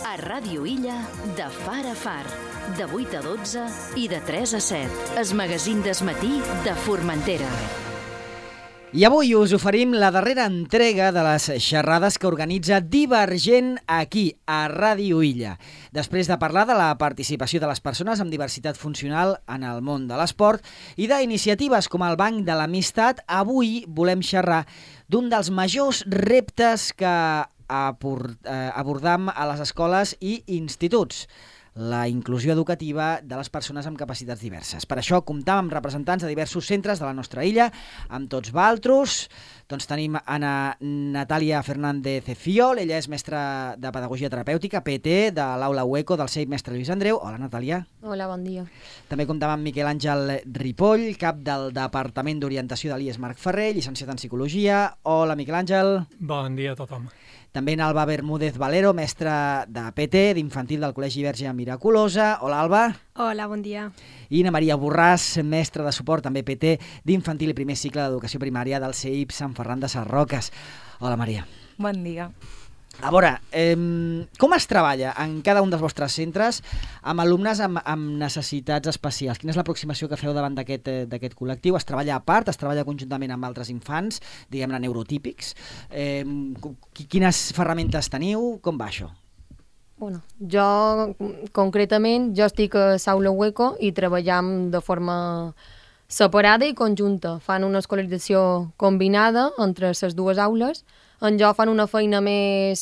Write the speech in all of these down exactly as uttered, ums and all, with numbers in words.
A Ràdio Illa, de far a far, de vuit a dotze i de tres a set. Es magazín d'esmatí de Formentera. I avui us oferim la darrera entrega de les xerrades que organitza Divergent aquí, a Ràdio Illa. Després de parlar de la participació de les persones amb diversitat funcional en el món de l'esport i d'iniciatives com el Banc de l'Amistat, avui volem xerrar d'un dels majors reptes que abordam a les escoles i instituts: la inclusió educativa de les persones amb capacitats diverses. Per això comptam amb representants de diversos centres de la nostra illa, amb tots valtros. Doncs tenim Ana Natàlia Fernández Fiol, ella és mestra de Pedagogia Terapèutica, P T, de l'Aula UECO del C E I Mestre Lluís Andreu. Hola, Natàlia. Hola, bon dia. També comptam amb Miquel Àngel Ripoll, cap del Departament d'Orientació de l'I E S Marc Ferrer, llicenciat en Psicologia. Hola, Miquel Àngel. Bon dia a tothom. També en Alba Bermúdez Valero, mestra de P T, d'infantil del Col·legi Verge Miraculosa. Hola, Alba. Hola, bon dia. I na Maria Borràs, mestra de suport, també P T, d'infantil i primer cicle d'educació primària del C E I P Sant Ferran de Sarroques. Hola, Maria. Bon dia. A veure, eh, com es treballa en cada un dels vostres centres amb alumnes amb, amb necessitats especials? Quina és l'aproximació que feu davant d'aquest eh, d'aquest col·lectiu? Es treballa a part? Es treballa conjuntament amb altres infants, diguem-ne neurotípics? Eh, quines ferramentes teniu? Com va això? Bueno, jo, concretament, jo estic a l'Aula UECO i treballem de forma separada i conjunta. Fan una escolarització combinada entre les dues aules. En jo fan una feina més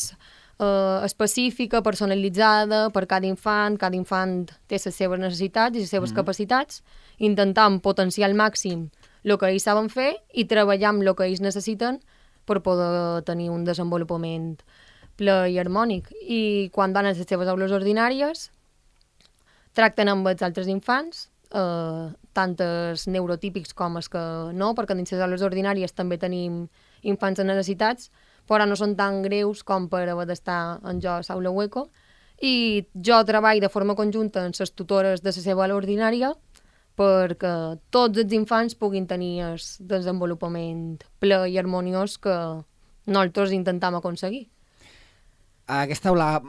eh, específica, personalitzada per cada infant. Cada infant té les seves necessitats i les seves mm. capacitats. Intentam potenciar al màxim el que ells saben fer i treballar amb el que ells necessiten per poder tenir un desenvolupament ple i harmònic. I quan van a les seves aules ordinàries, tracten amb els altres infants, eh, tant els neurotípics com els que no, perquè dins les aules ordinàries també tenim infants amb necessitats, però no són tan greus com per haver d'estar en jo a l'Aula UECO. I jo treballo de forma conjunta amb les tutores de la seva aula ordinària perquè tots els infants puguin tenir el desenvolupament ple i harmoniós que nosaltres intentam aconseguir. Aquesta aula,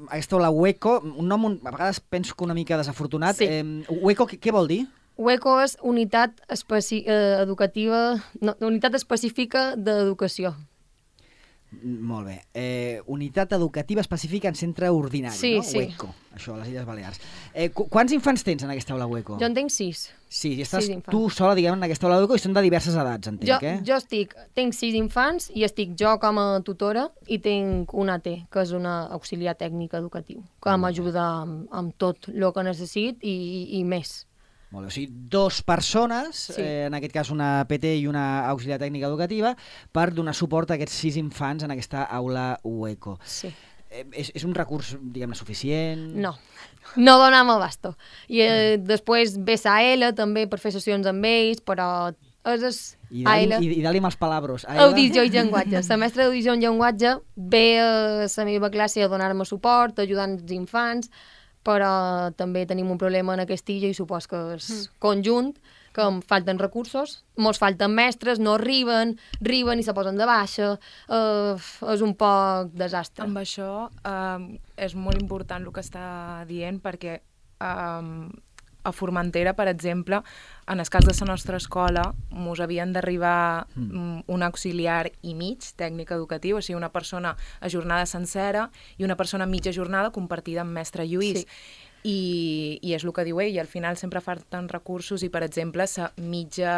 aquesta aula UECO, un nom un, a vegades penso que una mica desafortunat. Sí. Eh, UECO, què, què vol dir? UECO és unitat especi eh, educativa, no, unitat específica d'educació. Molt bé. Eh, unitat educativa específica en centre ordinari, sí, no? Sí. UECO, això, a les Illes Balears. Eh, qu quants infants tens en aquesta aula UECO? Jo en tinc sis. Sí, i estàs sis tu sola, diguem, en aquesta aula UECO, i són de diverses edats, entenc, jo, eh? Jo estic, tinc sis infants i estic jo com a tutora i tinc una A T, que és una auxiliar tècnic educatiu, que m'ajuda amb, amb tot el que necessit i, i, i més. Molt bé, o sigui, dos persones, sí. eh, en aquest cas una P T i una auxiliar tècnica educativa, per donar suport a aquests sis infants en aquesta aula UECO. Sí. Eh, és, és un recurs, diguem-ne, suficient? No, no donem abasto. I eh, després ve la A L també per fer sessions amb ells, però és... és I dali-li dali els palabros. Audició i llenguatge. La mestra d'audició i llenguatge ve a la meva classe a donar-me suport, ajudant els infants, però també tenim un problema en aquesta illa i supos que és mm. conjunt, que em falten recursos, mos falten mestres, no arriben, arriben i se posen de baixa, eh, és un poc desastre. Amb això eh, és molt important el que està dient, perquè eh, a Formentera, per exemple, en el cas de la nostra escola, mos havien d'arribar mm. un auxiliar i mig, tècnic educatiu, o sigui, una persona a jornada sencera i una persona a mitja jornada compartida amb mestre Lluís. Sí. I, I és el que diu ell, al final sempre falten recursos i, per exemple, la mitja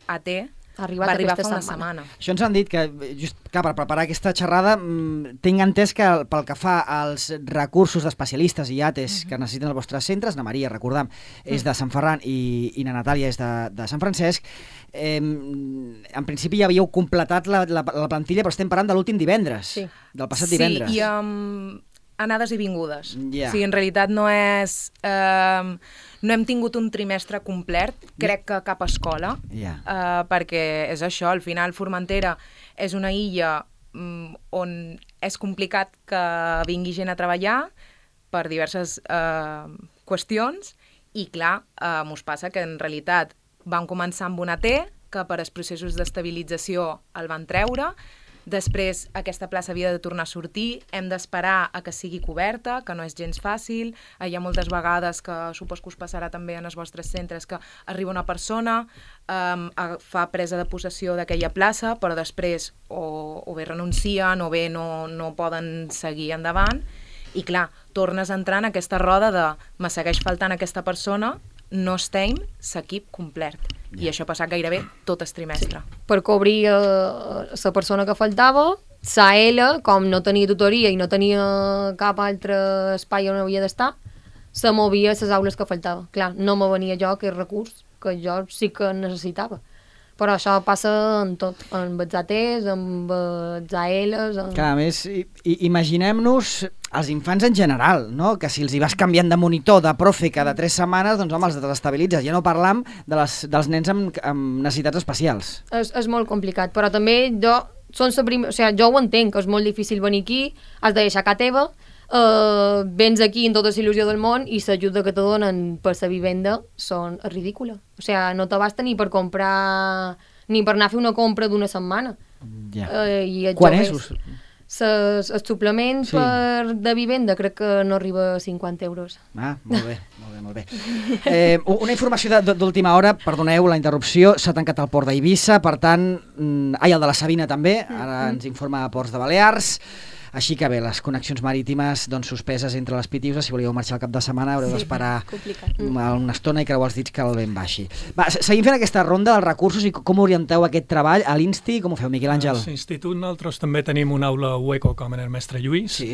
A T Arribat va arribar fa una setmana. setmana. Això ens han dit que, just, clar, per preparar aquesta xerrada, mmm, tinc entès que pel que fa als recursos d'especialistes i A T Es uh -huh. que necessiten els vostres centres, na Maria, recordam, és de Sant Ferran i, i na Natàlia és de, de Sant Francesc, eh, en principi ja havíeu completat la, la, la plantilla, però estem parlant de l'últim divendres, sí. del passat divendres. Sí, i amb anades i vingudes. Yeah. O sigui, en realitat no és... Eh, no hem tingut un trimestre complet, crec que cap escola, yeah. eh, perquè és això, al final Formentera és una illa mm, on és complicat que vingui gent a treballar per diverses eh, qüestions i, clar, eh, mos passa que en realitat vam començar amb una T, que per als processos d'estabilització el van treure, Després, aquesta plaça havia de tornar a sortir, hem d'esperar a que sigui coberta, que no és gens fàcil. Hi ha moltes vegades que, supos que us passarà també en els vostres centres, que arriba una persona, um, fa presa de possessió d'aquella plaça, però després o, o bé renuncien o bé no, no poden seguir endavant. I clar, tornes a entrar en aquesta roda de me segueix faltant aquesta persona, no estem l'equip complet. I això ha passat gairebé tot el trimestre. Sí. Per cobrir uh, la persona que faltava, sa ela, com no tenia tutoria i no tenia cap altre espai on havia d'estar, se movia a les aules que faltava. Clar, no me venia jo aquest recurs que jo sí que necessitava. Però això passa en tot, amb els A Ts, amb els A Ls... En... Clar, a més, i, i, imaginem-nos els infants en general, no? Que si els hi vas canviant de monitor, de profe, cada tres setmanes, doncs home, els desestabilitzes. Ja no parlam de les, dels nens amb, amb necessitats especials. És, és molt complicat, però també jo, són la prim... o sigui, jo ho entenc, que és molt difícil venir aquí, has de deixar casa teva, Uh, vens aquí amb tota la il·lusió del món i l'ajuda que te donen per la vivenda són és ridícula. O sigui, no te basta ni per comprar ni per anar a fer una compra d'una setmana. Ja. Uh, i Quan és? Ses, el suplement sí. per, de vivenda crec que no arriba a cinquanta euros. Ah, molt bé, molt bé, molt bé. Eh, una informació d'última hora, perdoneu la interrupció, s'ha tancat el port d'Eivissa, per tant, ai, el de la Sabina també, ara ens informa a Ports de Balears. Així que bé, les connexions marítimes doncs, suspeses entre les Pitiuses, si volíeu marxar al cap de setmana haureu sí, d'esperar una estona i creuar els dits que el vent baixi. Va, seguim fent aquesta ronda dels recursos i com orienteu aquest treball a l'Insti, com ho feu, Miquel Àngel? A l'Institut nosaltres també tenim una aula Hueco com en el mestre Lluís, sí.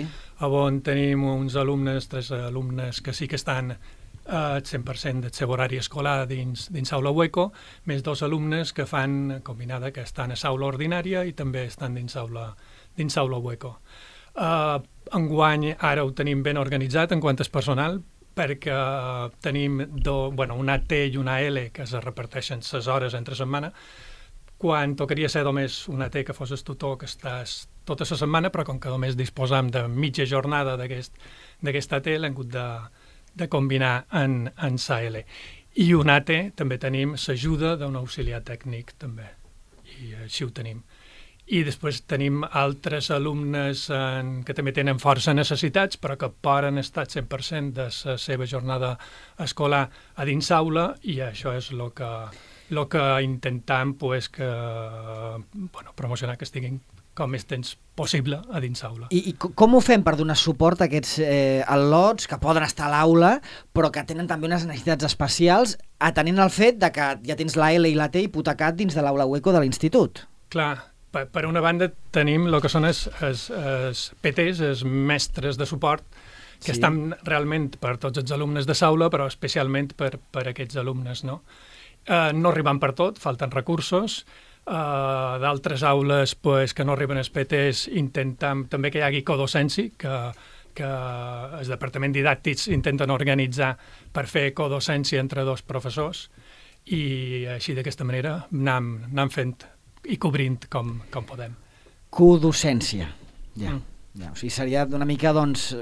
On tenim uns alumnes, tres alumnes que sí que estan al cent per cent del seu horari escolar dins, dins aula Hueco, més dos alumnes que fan combinada, que estan a aula ordinària i també estan dins aula, dins aula Hueco. Uh, enguany ara ho tenim ben organitzat en quant és personal, perquè uh, tenim do, bueno, una T i una L que es reparteixen les hores entre setmana, quan tocaria ser només una T que fos el tutor que estàs tota la setmana, però com que només disposam de mitja jornada d'aquesta aquest, T l'hem hagut de, de combinar en, en sa L. I una T també tenim l'ajuda d'un auxiliar tècnic també, i així ho tenim. I després tenim altres alumnes en, que també tenen força necessitats, però que poden estar cent per cent de la seva jornada escolar a dins aula, i això és el que, lo que intentem pues, que, bueno, promocionar que estiguin com més temps possible a dins aula. I, i com ho fem per donar suport a aquests eh, al·lots que poden estar a l'aula però que tenen també unes necessitats especials, atenent al fet de que ja tens la L i la T hipotecat dins de l'aula Hueco de l'institut? Clar, per, per una banda tenim el que són els, els, els P Ts, els mestres de suport, que sí. Estan realment per tots els alumnes de l'aula, però especialment per, per aquests alumnes, no? Eh, no arriben per tot, falten recursos. Uh, d'altres aules pues, que no arriben els P Ts intentem també que hi hagi codocència, que, que els departaments didàctics intenten organitzar per fer codocència entre dos professors, i així d'aquesta manera anem, anem fent i cobrint com, com podem. Codocència, ja. Mm. ja. O sigui, seria una mica, doncs,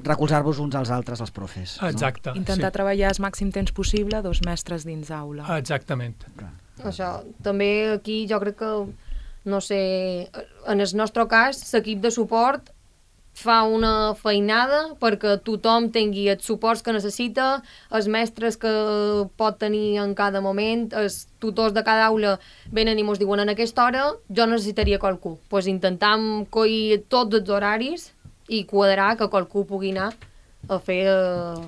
recolzar-vos uns als altres, els profes. Exacte. No? Intentar sí. treballar el màxim temps possible dos mestres dins aula. Exactament. Clar. Això, també aquí jo crec que, no sé, en el nostre cas, l'equip de suport fa una feinada perquè tothom tingui els suports que necessita, els mestres que pot tenir en cada moment, els tutors de cada aula venen i ens diuen en aquesta hora jo necessitaria qualcú. Doncs pues intentam coir tots els horaris i quadrar que qualcú pugui anar a fer... Eh...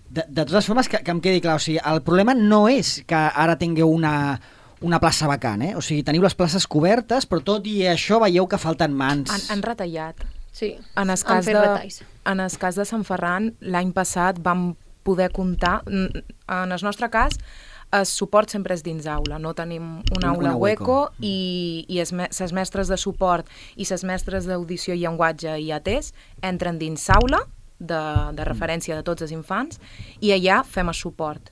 De, de totes formes, que, que em quedi clar, o sigui, el problema no és que ara tingueu una, una plaça vacant, eh? O sigui, teniu les places cobertes, però tot i això veieu que falten mans. Han, han retallat. Sí, en el cas de, en el cas de Sant Ferran, l'any passat vam poder comptar, en el nostre cas, el suport sempre és dins aula, no tenim una aula una Hueco, i, i les mestres de suport i les mestres d'audició i llenguatge i A Ts entren dins aula, de, de referència de tots els infants, i allà fem el suport.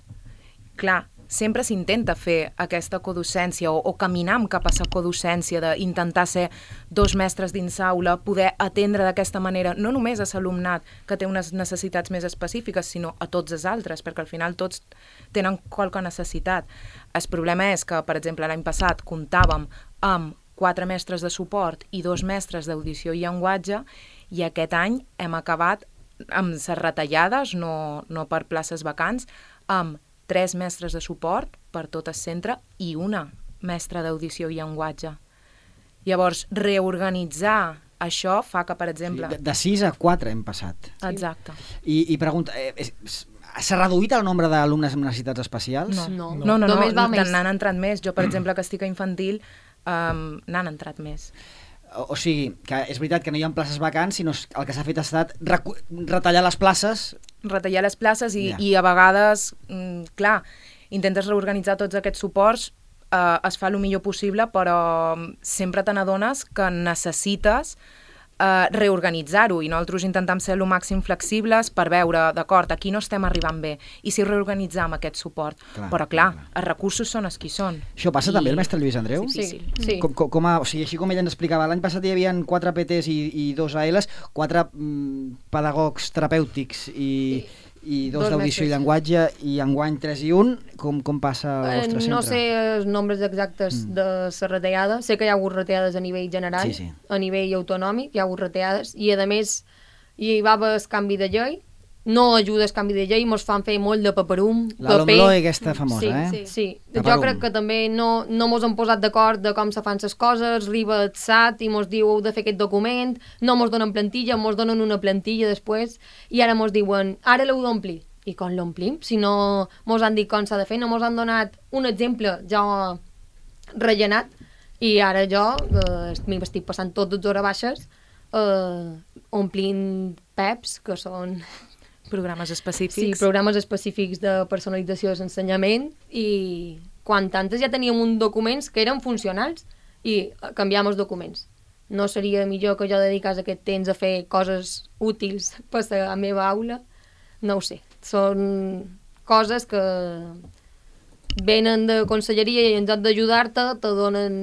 Clar, sempre s'intenta fer aquesta codocència o, o caminar cap a la codocència d'intentar ser dos mestres dins aula, poder atendre d'aquesta manera no només a l'alumnat que té unes necessitats més específiques, sinó a tots els altres, perquè al final tots tenen qualque necessitat. El problema és que, per exemple, l'any passat comptàvem amb quatre mestres de suport i dos mestres d'audició i llenguatge, i aquest any hem acabat amb les retallades, no, no per places vacants, amb tres mestres de suport per tot el centre i una mestra d'audició i llenguatge. Llavors, reorganitzar això fa que, per exemple... Sí, de sis a quatre hem passat. Exacte. I, i pregunta, eh, s'ha reduït el nombre d'alumnes amb necessitats especials? No, No, no, no, no, només va no més. n'han entrat més. Jo, per exemple, que estic a infantil, um, n'han entrat més. O, o sigui, que és veritat que no hi ha places vacants, sinó el que s'ha fet ha estat recu- retallar les places. Retallar les places i, Ja. i a vegades, mm, clar, intentes reorganitzar tots aquests suports, eh, es fa el millor possible, però sempre te n'adones que necessites eh, reorganitzar-ho, i nosaltres intentem ser el màxim flexibles per veure, d'acord, aquí no estem arribant bé, i si reorganitzam aquest suport. Clar, però clar, clar, clar. els recursos són els qui són. Això passa I... també el mestre Lluís Andreu? Sí, Difícil. sí. Com, com, com a, o sigui, així com ella ens explicava, l'any passat hi havia quatre P Ts i, i dos A Ls, quatre mm, pedagogs terapèutics i, i dos Dos d'audició i mestres. llenguatge, i enguany tres i un. Com, com passa al Eh, vostre centre? No sé els nombres exactes Mm. de la retallada. Sé que hi ha hagut retallades a nivell general, Sí, sí. a nivell autonòmic, hi ha hagut retallades, i a més hi va haver el canvi de llei, no ajuda el canvi de llei, mos fan fer molt de paperum, La paper. LOMLOE aquesta famosa, sí, eh? Sí, sí. Paperum. Jo crec que també no, no mos han posat d'acord de com se fan les coses, arriba el S A T i mos diu heu de fer aquest document, no mos donen plantilla, mos donen una plantilla després, i ara mos diuen, ara l'heu d'omplir. I com l'omplim? Si no mos han dit com s'ha de fer, no mos han donat un exemple ja rellenat, i ara jo eh, m'estic passant tot les hores baixes eh, omplint P E Ps, que són Programes sí, específics. programes específics de personalització de l'ensenyament, i quan tantes ja teníem uns documents que eren funcionals i canviam els documents. No seria millor que jo dedicés aquest temps a fer coses útils per la meva aula? No ho sé. Són coses que venen de conselleria i en lloc d'ajudar-te te donen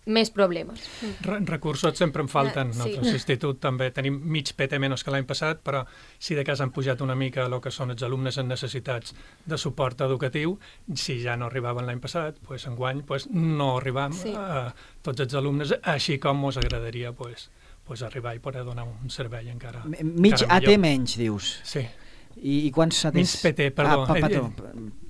més problemes. Re recursos sempre en falten. Sí. Nosaltres, l'institut, també tenim mig P T menys que l'any passat, però si de cas han pujat una mica el que són els alumnes amb necessitats de suport educatiu. Si ja no arribaven l'any passat, pues, enguany pues, no arribam Sí. a tots els alumnes, així com ens agradaria pues, pues, arribar i poder donar un servei encara, M- Mig encara A T millor. menys, dius. Sí. I, i quants A Ts? Mig P T, perdó. Ah, pa, Eh, perdó.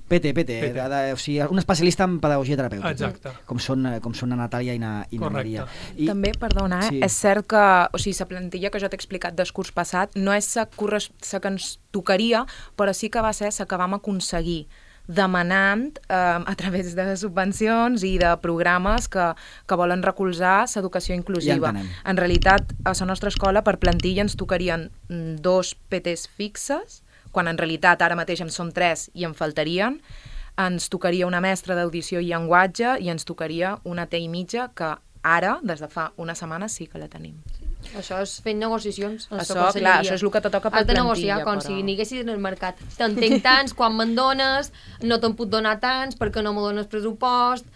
P T, P T, P T. De, de, o sigui, un especialista en pedagogia terapèutica. Exacte. Com són, eh, com són na Natàlia i na, i na Correcte. Maria. I... També, perdona, eh? Sí. és cert que o sigui, la plantilla que jo t'he explicat del curs passat no és la que ens tocaria, però sí que va ser la que vam aconseguir demanant eh, a través de subvencions i de programes que, que volen recolzar l'educació inclusiva. Ja entenem. En realitat, a la nostra escola, per plantilla, ens tocarien mm, dos P Ts fixes, quan en realitat ara mateix en són tres i en faltarien. Ens tocaria una mestra d'audició i llenguatge i ens tocaria una T i mitja, que ara, des de fa una setmana, sí que la tenim. Això és fent negociacions. en la Això, conselleria. clar, això és el que te toca per Has de plantilla, negociar com però- si n'haguessis en el mercat. Te'n tinc tants, quan me'n dones, no te'n puc donar tants perquè no me dones pressupost.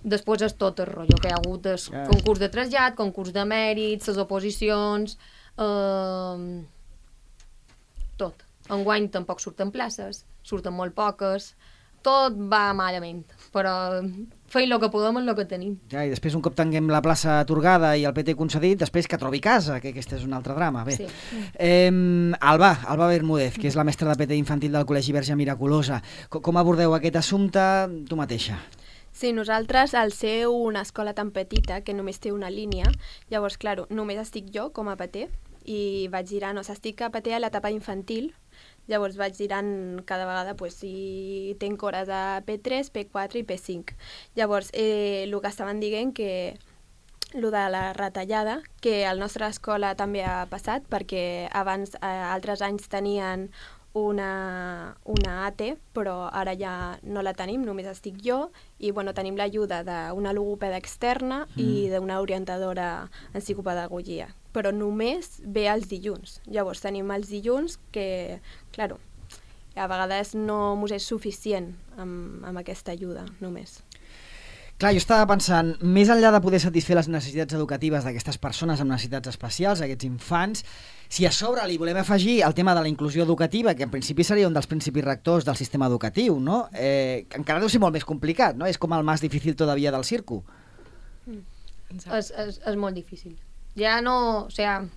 Després és tot el rotllo que hi ha hagut, el Ja. concurs de trasllat, concurs de mèrits, les oposicions... Eh, tot. Enguany tampoc surten places, surten molt poques, tot va malament, però feim el que podem amb el que tenim. Ja, i després, un cop tinguem la plaça atorgada i el P T concedit, després que trobi casa, que aquest és un altre drama. Bé. Sí. Eh, Alba, Alba Bermúdez, que és la mestra de P T infantil del Col·legi Verge Miraculosa. Com, com abordeu aquest assumpte tu mateixa? Sí, nosaltres, al ser una escola tan petita que només té una línia, llavors, clar, només estic jo com a P T i vaig girant, o sigui, estic a P T a l'etapa infantil, llavors vaig girant cada vegada pues, si tenc hores a P tres, P quatre i P cinc. Llavors, eh, el que estaven dient que el de la retallada, que a la nostra escola també ha passat, perquè abans, eh, altres anys tenien una, una A T, però ara ja no la tenim, només estic jo, i bueno, tenim l'ajuda d'una logopeda externa mm. i d'una orientadora en psicopedagogia, però només ve els dilluns. Llavors tenim els dilluns que, claro, a vegades no mos és suficient amb, amb aquesta ajuda, només. Clar, jo estava pensant, més enllà de poder satisfer les necessitats educatives d'aquestes persones amb necessitats especials, aquests infants, si a sobre li volem afegir el tema de la inclusió educativa, que en principi seria un dels principis rectors del sistema educatiu, no? Eh, encara deu ser molt més complicat, no? És com el més difícil todavía del circo. és, és, és molt difícil. Ja no... O sigui,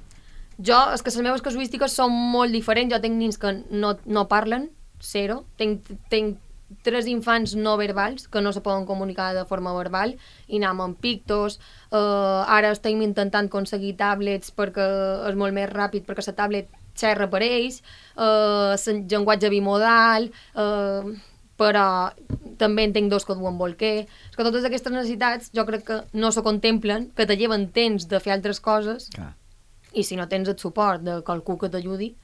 jo, és que les meves casuístiques són molt diferents. Jo tinc nins que no, no parlen, zero. Tinc, tinc tres infants no verbals que no se poden comunicar de forma verbal i anem amb pictos. Uh, ara estem intentant aconseguir tablets perquè és molt més ràpid, perquè la tablet xerra per ells, uh, llenguatge bimodal, uh, però també en tinc dos que duen bolquer. És que totes aquestes necessitats jo crec que no se contemplen, que te lleven temps de fer altres coses. Clar. I si no tens el suport de qualcú que t'ajudi,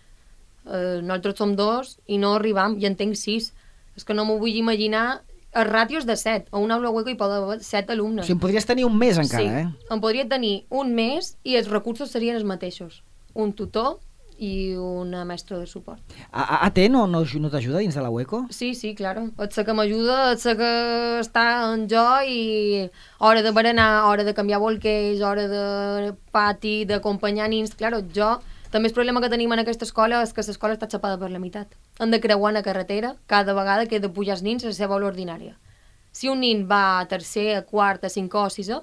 eh, nosaltres som dos i no arribam, i en tinc sis. És que no m'ho vull imaginar. El ràtio és de set. A una aula hueco hi poden haver set alumnes. O sigui, en podries tenir un mes encara, sí, eh? en podria tenir un mes i els recursos serien els mateixos. Un tutor i una mestra de suport. A, a T no, no, no t'ajuda dins de la hueco? Sí, sí, claro. Et sé que m'ajuda, et sé que està en jo i hora de berenar, hora de canviar bolquers, hora de pati, d'acompanyar nins. Claro, jo... També el problema que tenim en aquesta escola és que l'escola està xapada per la meitat. Han de creuar una carretera cada vegada que he de pujar els nins a la seva aula ordinària. Si un nin va a tercer, a quart, a cinquè o sisè,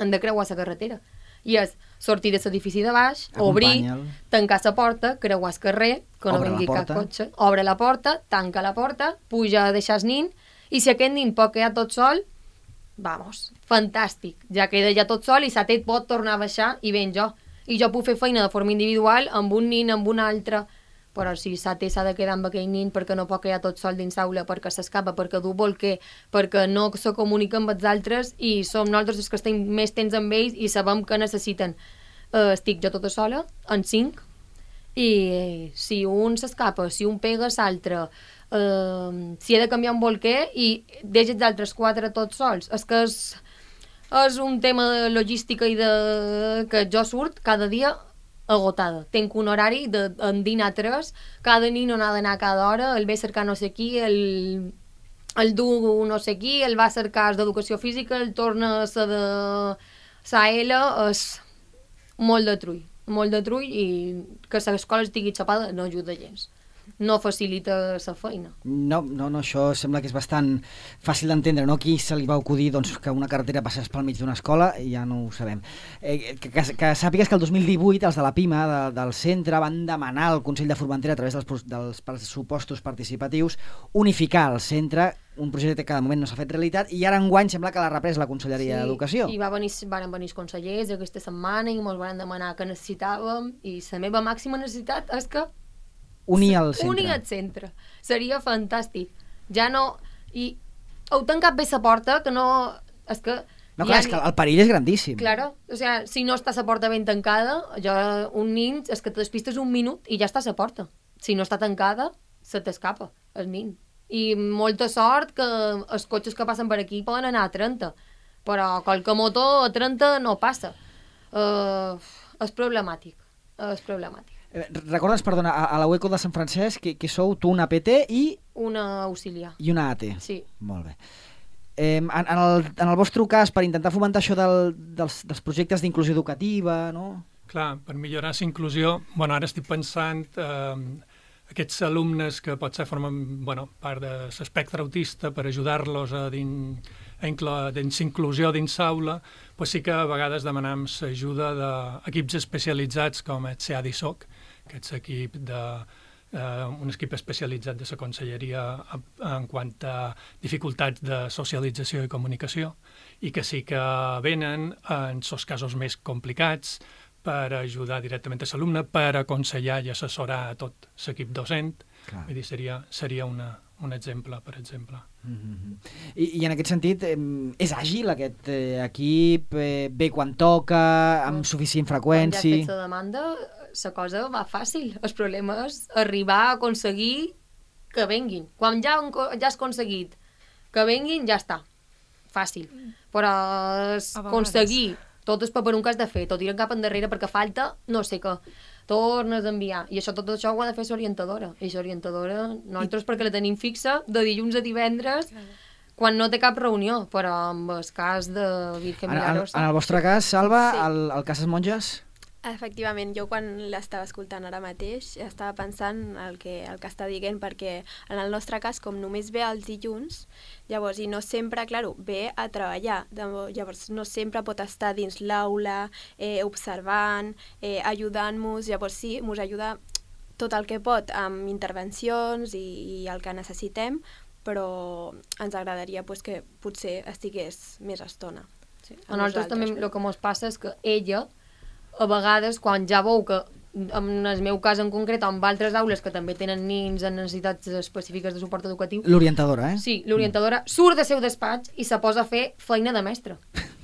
han de creuar la carretera. I és sortir de l'edifici de baix, obrir, tancar la porta, creuar el carrer, que no vingui cap cotxe, obre la porta, tanca la porta, puja a deixar el nin, i si aquest nin pot quedar tot sol, vamos, fantàstic. Ja queda ja tot sol i la Tet pot tornar a baixar i ven jo. I jo puc fer feina de forma individual amb un nin, amb un altre, però si la T s'ha de quedar amb aquell nin perquè no pot quedar tot sol dins l'aula, perquè s'escapa, perquè du bolquer, perquè no se comunica amb els altres i som nosaltres els que estem més temps amb ells i sabem que necessiten. Uh, estic jo tota sola, en cinc, i eh, si un s'escapa, si un pega l'altre, uh, si he de canviar un bolquer i deixa els altres quatre tots sols, és que és... És un tema de logística i de... que jo surt cada dia agotada. Tenc un horari de en dinar tres, cada nin no ha d'anar cada hora, el ve a cercar no sé qui, el, el du no sé qui, el va a cercar d'educació física, el torna a ser de sa L, és molt de trull, molt de trull i que l'escola estigui xapada no ajuda gens. No facilita la feina. No, no, no, això sembla que és bastant fàcil d'entendre, no? Qui se li va acudir doncs, que una carretera passés pel mig d'una escola, ja no ho sabem. Eh, que, que, que sàpigues que el dos mil divuit els de la PIMA, de, del centre, van demanar al Consell de Formentera, a través dels, dels pressupostos participatius, unificar el centre, un projecte que de moment no s'ha fet realitat, i ara enguany sembla que l'ha reprès la Conselleria sí, d'Educació. I va venir, van venir els consellers aquesta setmana i ens van demanar que necessitàvem, i la meva màxima necessitat és que unir el centre. Unir el centre. Seria fantàstic. Ja no... I heu tancat bé la porta, que no... És que... No, clar, ja... és que el perill és grandíssim. Claro, o sea, si no està la porta ben tancada, jo, un nin, és que te despistes un minut i ja està a la porta. Si no està tancada, se t'escapa el nin. I molta sort que els cotxes que passen per aquí poden anar a trenta, però qualque motor a trenta no passa. Uh, és problemàtic. És problemàtic. Recordes, perdona, a la UECO de Sant Francesc que, que sou tu una P T i... Una auxiliar. I una A T. Sí. Molt bé. Eh, en, en, el, en el vostre cas, per intentar fomentar això del, dels, dels projectes d'inclusió educativa, no? Clar, per millorar la inclusió, bueno, ara estic pensant eh, aquests alumnes que potser formen bueno, part de l'espectre autista per ajudar-los a dins dins inclusió dins l'aula, pues sí que a vegades demanem l'ajuda d'equips especialitzats com el C A D I S O C, que és equip de, uh, un equip especialitzat de la Conselleria en quant a dificultats de socialització i comunicació, i que sí que venen en els casos més complicats per ajudar directament a l'alumne, per aconsellar i assessorar a tot l'equip docent. Clar. Vull dir, seria, seria una, un exemple, per exemple. Mm-hmm. I, I en aquest sentit, eh, és àgil aquest eh, equip? Eh, ve quan toca, amb mm. suficient freqüència? Quan ja has fet la demanda, la cosa va fàcil. El problema és arribar a aconseguir que venguin. Quan ja, ja has aconseguit que venguin, ja està. Fàcil. Però és aconseguir tot el paperón que has de fer, tot ir cap endarrere perquè falta no sé què, tornes a enviar. I això, tot això ho ha de fer l'orientadora. I l'orientadora, nosaltres I... perquè la tenim fixa, de dilluns a divendres, quan no té cap reunió, però en el cas de Virgen Milagros... En, en el vostre cas, Salva, sí. el, el cas de monges? Efectivament, jo quan l'estava escoltant ara mateix estava pensant el que, el que està dient, perquè en el nostre cas, com només ve els dilluns, llavors, i no sempre, clar, ve a treballar, llavors no sempre pot estar dins l'aula, eh, observant, eh, ajudant-nos, llavors sí, ens ajuda tot el que pot amb intervencions i, i el que necessitem, però ens agradaria pues, que potser estigués més estona. Sí, a nosaltres també el que ens passa és que ella, a vegades, quan ja veu que, en el meu cas en concret, o en altres aules que també tenen nins amb necessitats específiques de suport educatiu... L'orientadora, eh? Sí, l'orientadora mm. surt del seu despatx i se posa a fer feina de mestre.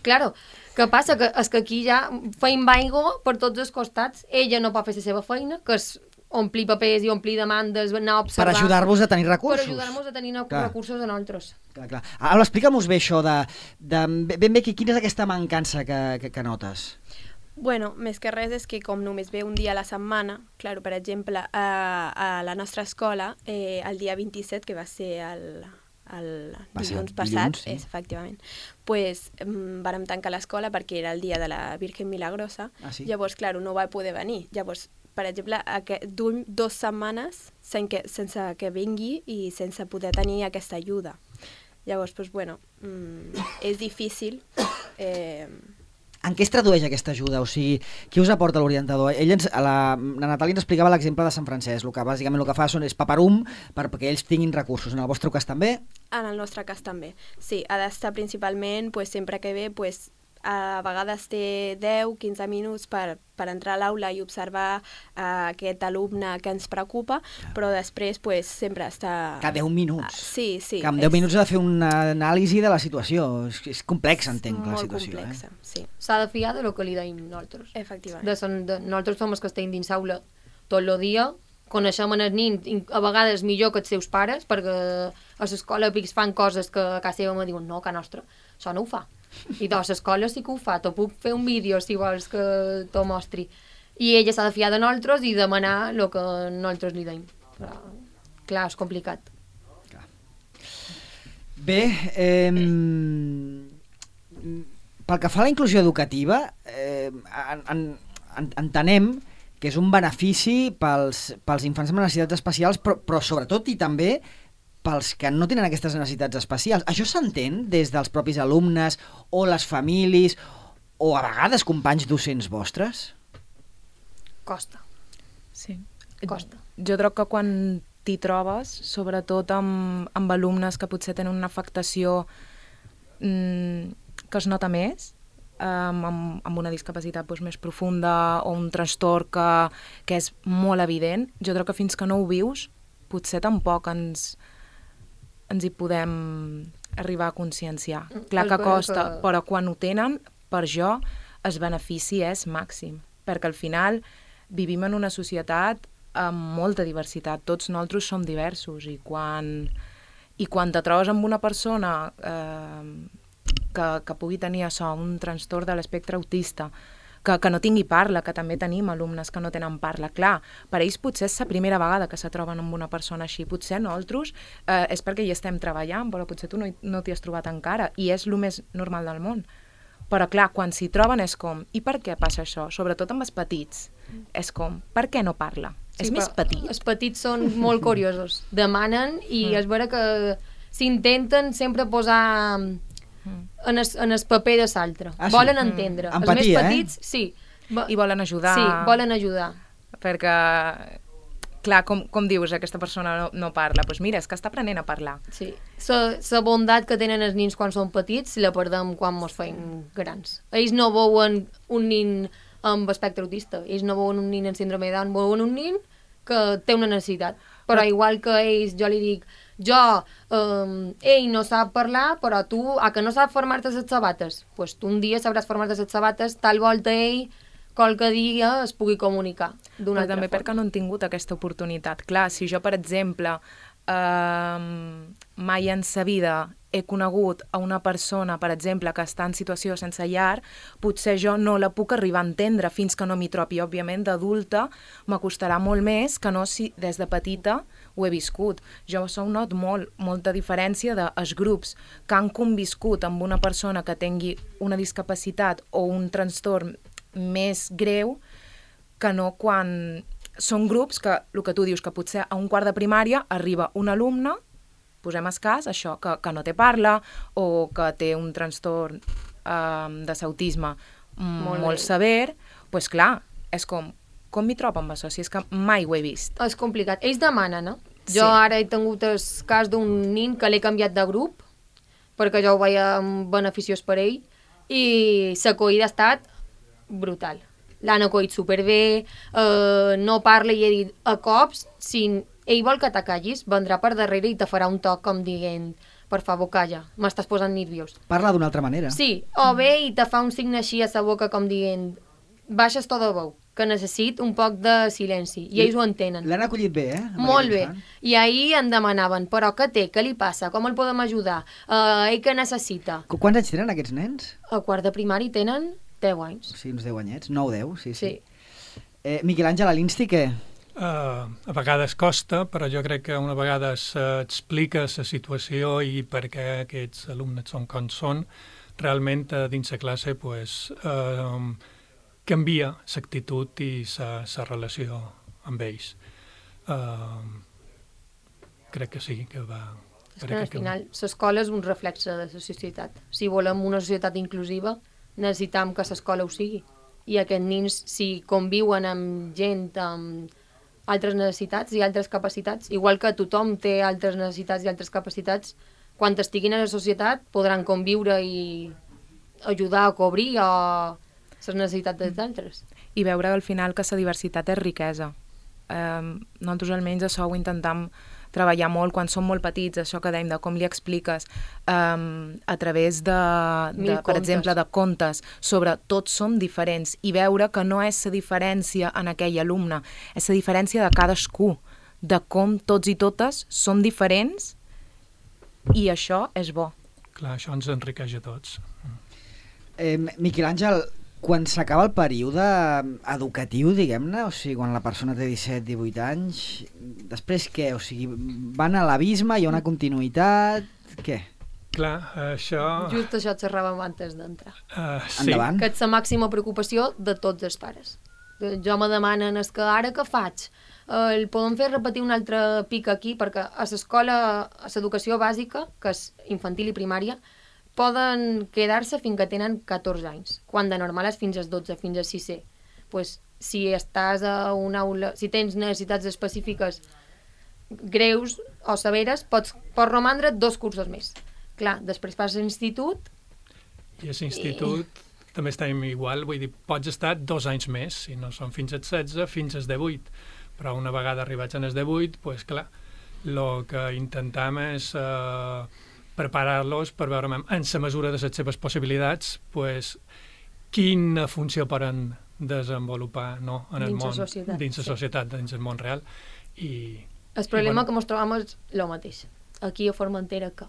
Claro, què passa? Que, és que aquí ja feim aigua per tots els costats. Ella no pot fer la seva feina, que és omplir papers i omplir demandes, anar a observar... Per ajudar-vos a tenir recursos. Per ajudar-nos a tenir clar. recursos a nosaltres. Clar, clar. Ara, explica'm-nos bé això de, de... Ben bé, quina és aquesta mancança que, que, que notes? Bueno, més que res és que com només ve un dia a la setmana, clar, per exemple, a, a la nostra escola, eh, el dia vint-i-set, que va ser el, el dilluns passat, dilluns, sí. és, efectivament, pues, um, vàrem tancar l'escola perquè era el dia de la Virgen Milagrosa, ah, sí? Llavors, clar, no va poder venir. Llavors, per exemple, duim dues setmanes sense que, sense que vingui i sense poder tenir aquesta ajuda. Llavors, pues, bueno, um, és difícil... Eh, En què es tradueix aquesta ajuda? O sigui, qui us aporta l'orientador? Ell ens, la, la Natàlia ens explicava l'exemple de Sant Francesc, el que bàsicament el que fa són, és paperum per, perquè ells tinguin recursos. En el vostre cas també? En el nostre cas també, sí. Ha d'estar principalment, pues, sempre que ve, pues, a vegades té deu quinze minuts per, per entrar a l'aula i observar uh, aquest alumne que ens preocupa, ja. Però després pues, sempre està... Cada deu minuts? Uh, sí, sí. Que amb deu és... minuts ha de fer una anàlisi de la situació. És, és complex, entenc, la situació. Molt complexa, eh? sí. S'ha de fiar de lo que li deim nosaltres. Efectivament. De son, de, nosaltres som els que estem dins l'aula tot el dia, coneixem els nins, a vegades millor que els seus pares, perquè a l'escola pics fan coses que a casa seva me diuen no, que nostra, això no ho fa. I doncs l'escola sí que ho fa, t'ho puc fer un vídeo si vols que t'ho mostri. I ella s'ha de fiar de nosaltres i demanar el que nosaltres li deim. Però, clar, és complicat. Clar. Bé, eh, pel que fa a la inclusió educativa, eh, en, en, entenem que és un benefici pels, pels infants amb necessitats especials, però, però sobretot i també pels que no tenen aquestes necessitats especials. Això s'entén des dels propis alumnes o les famílies o a vegades companys docents vostres? Costa. Sí. Costa. Jo crec que quan t'hi trobes, sobretot amb, amb alumnes que potser tenen una afectació mmm, que es nota més, um, amb, amb una discapacitat doncs, més profunda o un trastorn que, que és molt evident, jo crec que fins que no ho vius, potser tampoc ens... ens hi podem arribar a conscienciar. Clar que costa, però quan ho tenen, per jo, el benefici és màxim, perquè al final vivim en una societat amb molta diversitat, tots nosaltres som diversos, i quan, i quan te trobes amb una persona eh, que, que pugui tenir això, un trastorn de l'espectre autista, Que, que no tingui parla, que també tenim alumnes que no tenen parla. Clar, per ells potser és la primera vegada que se troben amb una persona així. Potser nosaltres eh, és perquè hi estem treballant, però potser tu no, no t'hi has trobat encara, i és el més normal del món. Però clar, quan s'hi troben és com, i per què passa això? Sobretot amb els petits. És com, per què no parla? Sí, és més petit. Els petits són molt curiosos. Demanen i mm. és vera que s'intenten sempre posar... En el, en el paper de l'altre. Ah, sí? Volen entendre. Mm. Empatia, els més petits, eh? Sí. I volen ajudar. Sí, volen ajudar. Perquè, clar, com, com dius, aquesta persona no, no parla? Doncs pues mira, és que està aprenent a parlar. Sí. La bondat que tenen els nins quan són petits la perdem quan ens feim grans. Ells no veuen un nin amb espectre autista, ells no veuen un nin amb síndrome de Down, veuen un nin que té una necessitat. Però, però igual que ells, jo li dic, jo, um, ell no sap parlar, però tu, a que no sap formar-te les sabates? Doncs pues tu un dia sabràs formar-te les sabates, tal volta ell, qualque dia es pugui comunicar d'una altra també forma. Perquè no han tingut aquesta oportunitat. Clar, si jo, per exemple, eh, mai en sa vida he conegut a una persona, per exemple, que està en situació sense llar, potser jo no la puc arribar a entendre fins que no m'hi trobi. Òbviament, d'adulta m'acostarà molt més que no si des de petita ho he viscut. Jo sou not molt, molta diferència dels grups que han conviscut amb una persona que tingui una discapacitat o un trastorn més greu, que no quan... Són grups que, el que tu dius, que potser a un quart de primària arriba un alumne, posem escàs, això, que, que no té parla o que té un trastorn eh, de sautisme molt, molt sever, doncs pues clar, és com, com m'hi trobo amb això, si és que mai ho he vist. És complicat. Ells demanen, no? Sí. Jo ara he tingut el cas d'un nin que l'he canviat de grup perquè jo ho veia beneficiós per ell i l'acollida ha estat brutal. L'han acollit superbé, eh, no parla i he dit a cops, si ell vol que t'acallis, vendrà per darrere i te farà un toc com dient per favor, calla, m'estàs posant nerviós. Parla d'una altra manera. Sí, o bé i te fa un signe així a sa boca com dient baixes to de veu, que necessit un poc de silenci, i ells ho entenen. L'han acollit bé, eh? Molt bé. I ahir em demanaven, però què té, què li passa, com el podem ajudar, uh, ell què necessita? Qu Quants anys tenen aquests nens? A quart de primari tenen deu anys. Sí, uns deu anyets, nou deu, sí, sí. Sí. Eh, Miquel Àngel, a l'Insti què? Uh, a vegades costa, però jo crec que una vegada s'explica la situació i per què aquests alumnes són com són, realment uh, dins la classe pues, uh, canvia l'actitud i la relació amb ells. Uh, crec que sí, que va... És que al final l'escola és un reflex de la societat. Si volem una societat inclusiva, necessitem que l'escola ho sigui. I aquests nins, si conviuen amb gent amb altres necessitats i altres capacitats, igual que tothom té altres necessitats i altres capacitats, quan estiguin a la societat podran conviure i ajudar a cobrir o les necessitats dels altres. I veure al final que la diversitat és riquesa. Eh, nosaltres almenys això ho intentem treballar molt quan som molt petits, això que dèiem de com li expliques um, a través de, de per exemple, de contes sobre tots som diferents i veure que no és la diferència en aquell alumne, és la diferència de cadascú, de com tots i totes som diferents i això és bo. Clar, això ens enriqueix a tots. Eh, Miquel Àngel, quan s'acaba el període educatiu, diguem-ne, o sigui, quan la persona té disset divuit anys, després què? O sigui, van a l'abisme, hi ha una continuïtat... Què? Clar, això... Just això et xerràvem antes d'entrar. Uh, sí. Endavant. Que és la màxima preocupació de tots els pares. Jo me demanen, és que ara què faig? El podem fer repetir un altre pic aquí, perquè a l'escola, a l'educació bàsica, que és infantil i primària, poden quedar-se fins que tenen catorze anys, quan de normal és fins als dotze, fins a sisè. Pues, si estàs a una aula, si tens necessitats específiques greus o severes, pots, pots romandre dos cursos més. Clar, després passes a l'institut... I a l'institut i... també estem igual, vull dir, pots estar dos anys més, si no són fins als setze, fins als divuit. Però una vegada arribats als divuit, pues clar, el que intentem és... Eh, preparar-los per veure en la mesura de les seves possibilitats pues, quina funció poden desenvolupar no, en el dins món, la societat, dins la sí. societat, dins el món real. I, el problema i, bueno, que ens trobem és el mateix. Aquí a Formentera que?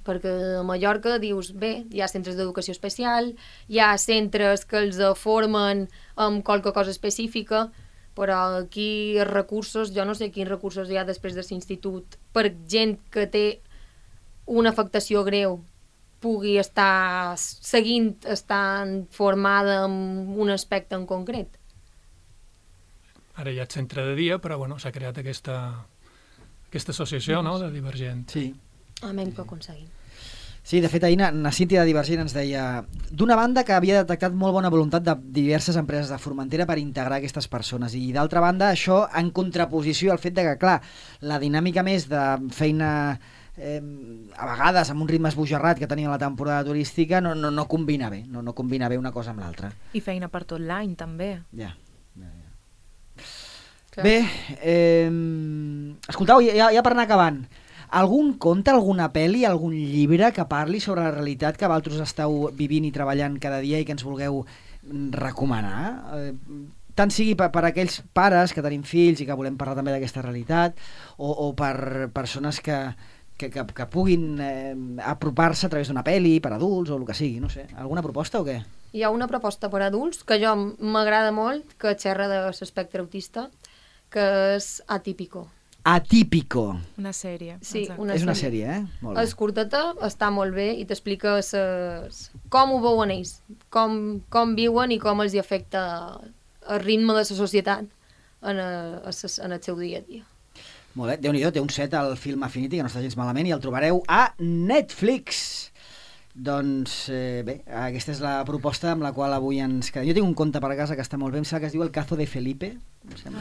Perquè a Mallorca dius, bé, hi ha centres d'educació especial, hi ha centres que els formen amb qualque cosa específica, però aquí els recursos, jo no sé quins recursos hi ha després de l'institut per gent que té una afectació greu pugui estar seguint, estant formada en un aspecte en concret. Ara hi ha el centre de dia, però bueno, s'ha creat aquesta, aquesta associació no, de Divergent. Sí. Amén que ho aconseguim. Sí, de fet, ahir na, na Cíntia de Divergent ens deia d'una banda que havia detectat molt bona voluntat de diverses empreses de Formentera per integrar aquestes persones i d'altra banda això en contraposició al fet de que, clar, la dinàmica més de feina... Eh, a vegades amb un ritme esbojarrat que tenia la temporada turística no, no, no combina bé, no, no combina bé una cosa amb l'altra. I feina per tot l'any també. Ja, ja, ja. Bé, eh, escoltau, ja, ja per anar acabant, algun conte, alguna pel·li, algun llibre que parli sobre la realitat que vosaltres esteu vivint i treballant cada dia i que ens vulgueu recomanar? Eh, tant sigui per, per aquells pares que tenim fills i que volem parlar també d'aquesta realitat o, o per persones que Que, que, que puguin eh, apropar-se a través d'una pel·li, per adults o el que sigui, no sé. Alguna proposta o què? Hi ha una proposta per adults que jo m'agrada molt, que xerra de l'espectre autista, que és Atípico. Atípico. Una sèrie. Sí, exacte. una és una sèrie. sèrie, eh? Molt bé. És curteta, està molt bé i t'explica ses... com ho veuen ells, com, com viuen i com els hi afecta el ritme de la societat en, a, a, en el seu dia a dia. Molt bé, Déu-n'hi-do, té un set al Film Affinity, que no està gens malament, i el trobareu a Netflix. Doncs eh, bé, aquesta és la proposta amb la qual avui ens quedem. Jo tinc un conte per casa que està molt bé, em sembla que es diu El caso de Felipe.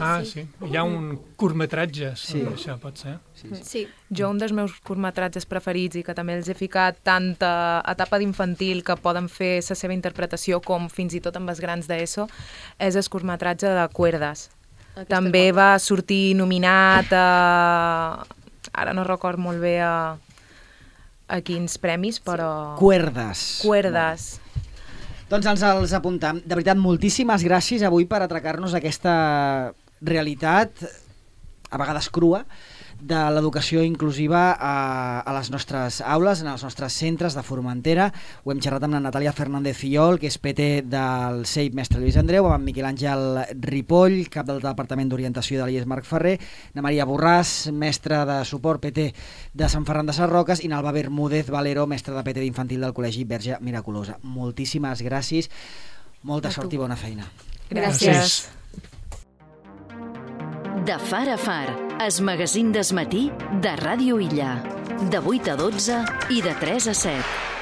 Ah, sí. Hi ha un curtmetratge sobre Sí. això, pot ser? Sí, sí. Sí. Jo, un dels meus curtmetratges preferits i que també els he ficat tanta etapa d'infantil que poden fer la seva interpretació com fins i tot amb els grans d'ESO, és el curtmetratge de Cuerdas. Aquesta També cosa. va sortir nominat a... Ara no record molt bé a, a quins premis, però... Cuerdas. Cuerdas. Doncs ens els apuntam. De veritat, moltíssimes gràcies avui per atracar-nos aquesta realitat, a vegades crua, de l'educació inclusiva a, a les nostres aules, en els nostres centres de Formentera. Ho hem xerrat amb la Natàlia Fernández Fillol, que és P T del C E I P Mestre Lluís Andreu, amb Miquel Àngel Ripoll, cap del Departament d'Orientació de l'I E S Marc Ferrer, na Maria Borràs, mestre de suport P T de Sant Ferran de Sarroques, i n'Alba Bermúdez Valero, mestre de P T d'infantil del Col·legi Verge Miraculosa. Moltíssimes gràcies, molta sort i bona feina. Gràcies. De far a far, es magazín des matí de Ràdio Illa. De vuit a dotze i de tres a set.